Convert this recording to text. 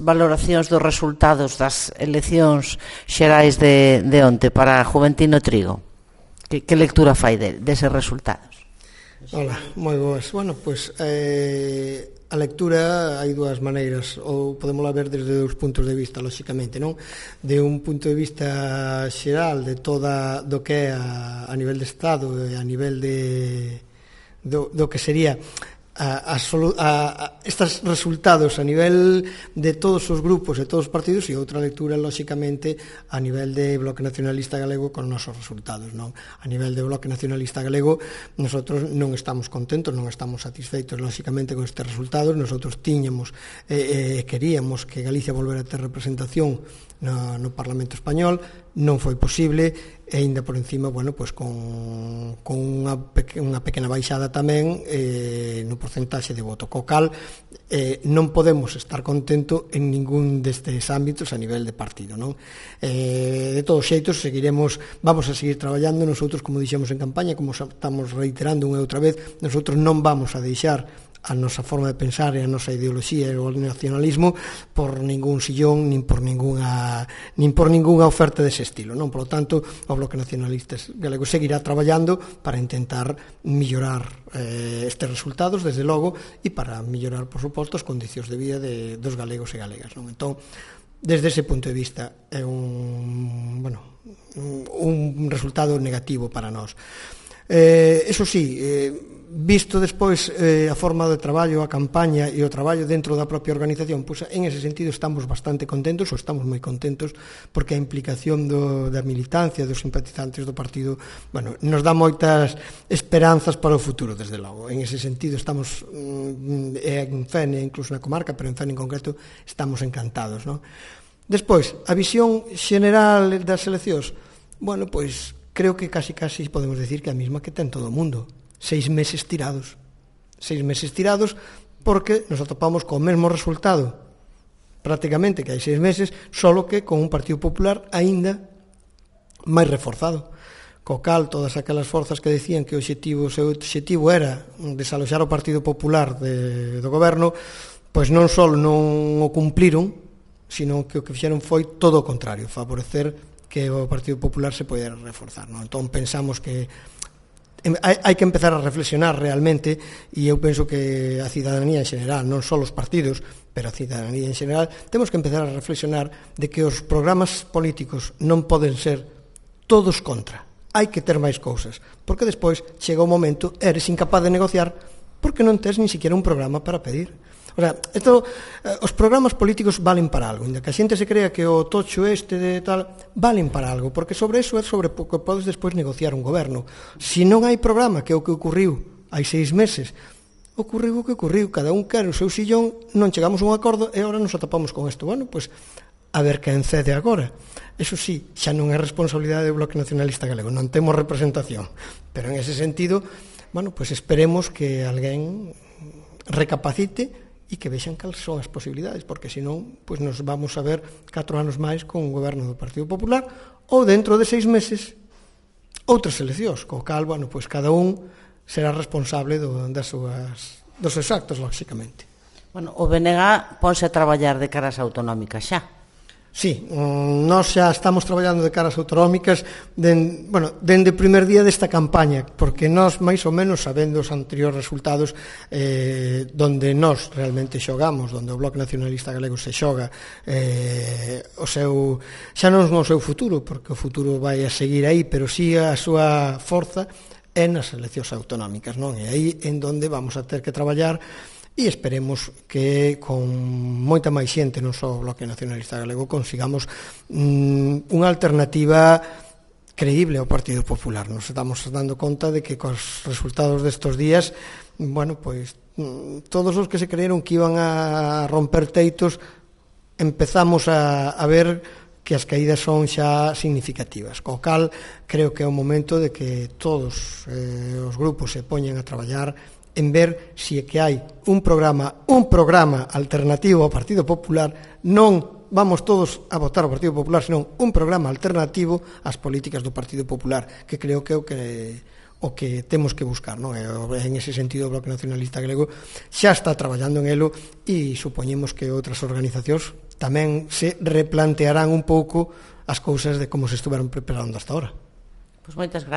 Valoracións dos resultados das eleccións xerais de onte para Juventino Trigo. Que lectura fai deses resultados? Ola, moi boas. Bueno, pois a lectura hai dúas maneiras, ou podemos ver desde dous puntos de vista, lóxicamente, non? De un punto de vista xeral de toda do que é a nivel de Estado e a nivel do que sería estes resultados a nivel de todos os grupos e todos os partidos, e outra lectura, lóxicamente, a nivel de Bloque Nacionalista Galego con nosos resultados, non? A nivel de Bloque Nacionalista Galego, nosotros non estamos contentos, non estamos satisfeitos, lóxicamente, con estes resultados. Nosotros tiñamos queríamos que Galicia volvera a ter representación no Parlamento Español, non foi posible, e ainda por encima, bueno, pois con unha pequena baixada tamén no porcentaxe de voto, co cal non podemos estar contento en ningún destes ámbitos a nivel de partido, non? De todos xeitos, vamos a seguir traballando. Nosotros, como dixemos en campaña, como estamos reiterando unha e outra vez, nosotros non vamos a deixar a nosa forma de pensar e a nosa ideoloxía e o nacionalismo por ningún sillón nin por ningunha oferta dese estilo, non? Por lo tanto, o Bloque Nacionalista Galego seguirá traballando para intentar mellorar estes resultados, desde logo, e para mellorar, por suposto, as condicións de vida dos galegos e galegas, non? Entón, desde ese punto de vista é un resultado negativo para nós. Eso sí, visto despois a forma de traballo, a campaña e o traballo dentro da propia organización, pois en ese sentido estamos bastante contentos, ou estamos moi contentos, porque a implicación da militancia, dos simpatizantes do partido, bueno, nos dá moitas esperanzas para o futuro, desde logo. En ese sentido estamos en Fene, incluso na comarca, pero en Fene en concreto estamos encantados, non? Despois, a visión xeneral das eleccións, bueno, pois creo que casi podemos decir que a mesma que ten todo o mundo. 6 meses tirados. 6 meses tirados porque nos atopamos co mesmo resultado prácticamente que hai 6 meses, solo que con un Partido Popular aínda máis reforzado. Co cal, todas aquelas forzas que decían que o seu obxectivo era desaloxar o Partido Popular do goberno, pois non só non o cumpliron, sino que o que fixeron foi todo o contrario, favorecer que o Partido Popular se podera reforzar, non? Entón pensamos que hai que empezar a reflexionar realmente, e eu penso que a cidadanía en xeral, non só os partidos, pero a cidadanía en xeral, temos que empezar a reflexionar de que os programas políticos non poden ser todos contra. Hai que ter máis cousas, porque despois chega o momento, eres incapaz de negociar porque non tes nin siquiera un programa para pedir. O sea, os programas políticos valen para algo, ainda que a xente se crea que o tocho de tal valen para algo, porque sobre eso é sobre o que podes despois negociar un goberno. Se non hai programa, que é o que ocurriu hai 6 meses, ocurriu o que ocurriu, cada un quere o seu sillón, non chegamos a un acordo e agora nos atopamos con isto. Bueno, pois a ver quen cede agora. Eso sí, xa non é responsabilidade do Bloque Nacionalista Galego, non temos representación, pero en ese sentido, bueno, pois esperemos que alguén recapacite e que vexan cales son as posibilidades, porque senón pois nos vamos a ver 4 anos máis con un goberno do Partido Popular, ou dentro de 6 meses outras eleccións, co cal, bueno, pois cada un será responsable dos seus actos, lóxicamente. Bueno, o BNG ponse a traballar de caras autonómicas xa. Sí, nós xa estamos traballando de caras autonómicas dende o primer día desta campaña, porque nós, máis ou menos, sabendo os anteriores resultados, donde nós realmente xogamos, donde o Bloque Nacionalista Galego se xoga xa non o seu futuro, porque o futuro vai a seguir aí, pero sí a súa forza é nas eleccións autonómicas, non? E aí en donde vamos a ter que traballar, e esperemos que con moita máis xente, non só o Bloque Nacionalista Galego, consigamos unha alternativa creíble ao Partido Popular. Nos estamos dando conta de que cos resultados destos días, bueno, pois todos os que se creyeron que iban a romper teitos, empezamos a ver que as caídas son xa significativas. Co cal, creo que é o momento de que todos os grupos se poñen a traballar en ver se é que hai un programa alternativo ao Partido Popular. Non vamos todos a votar ao Partido Popular, senón un programa alternativo ás políticas do Partido Popular, que creo que é o que temos que buscar, non? En ese sentido, o Bloque Nacionalista Galego xa está traballando en elo, e supoñemos que outras organizacións tamén se replantearán un pouco as cousas de como se estuveron preparando hasta ahora. Pois moitas gracias.